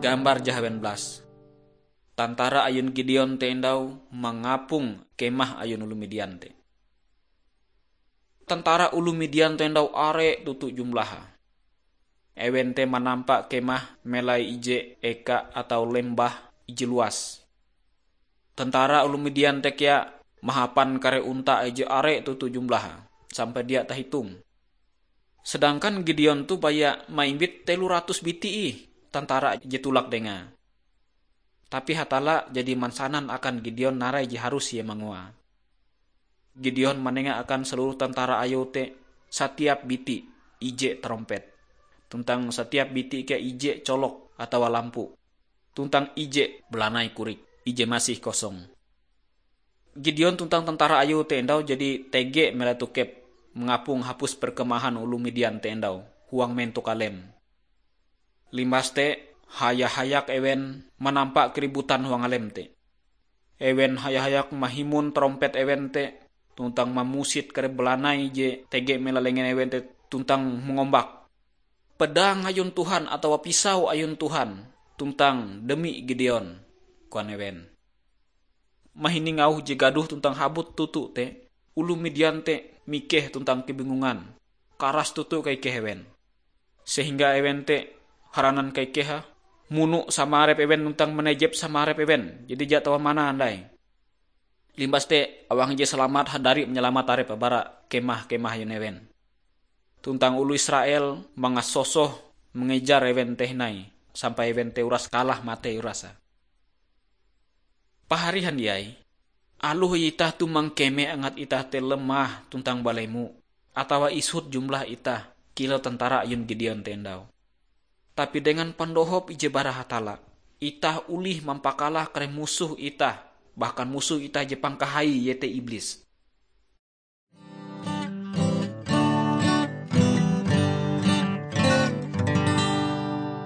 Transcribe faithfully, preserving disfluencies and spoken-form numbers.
Gambar jahawen blas. Tantara ayun Gideon te endau mangapung kemah ayun oloh Midian te. Tantara oloh Midian te endau are toto jumlahe. Ewen te manampa kemah melai ije eka atau lembah ije luas. Tantara oloh Midian te kea mahapan kare onta ije are toto jumlahe, sampai dia tahitung. Sedangkan Gideon toh baya maimbit telo ratus biti ih tantara je tolak dengae. Tapi Hatalla jadi mansanan akan Gideon narai je harus ie mangoae. Gideon manenga akan seluruh tantara ayue te satiap biti ije tarompet, tuntang satiap biti kea ije colok atawa lampu, tuntang ije balanai korik ije masih kosong. Gideon tuntang tantara ayue te endau jadi tege melai tokep mangapung hapus perkemahan oloh Midian te endau huang mentok alem. Limbas te, haya-hayak ewen manampa keributan huang alem te. Ewen haya-hayak mahimun tarompet ewen te, tuntang mamusit kare balanai je tege melai lengen ewen te tuntang mangombak, "Pedang ayun Tuhan atawa pisau ayun Tuhan tuntang demi Gideon," koan ewen. Mahining auh je gadoh tuntang habot toto te, oloh Midian te mikeh tuntang kebingungan. Karas toto kaikeh ewen. Sehingga ewen te haranan kaikehe, muno sama arep ewen tuntang manejep sama arep ewen, jadi dia tau manah andai. Limbas te, awang ije salamat hadari manyalamat arepe bara kemah-kemah ayun ewen. Tuntang oloh Israel mangasosoh mangejar ewen te hindai, sampai ewen te uras kalah matei urase. Pahari handiai, aloh itah toh mangkeme angat itah te lemah tuntang balemo, atawa isut jumlah itah kilau tantara ayun Gideon te endau. Tapi dengan pandohop ije bara Hatalla, itah olih mampakalah kare musoh itah, bahkan musoh itah je pangkahai, iete Iblis.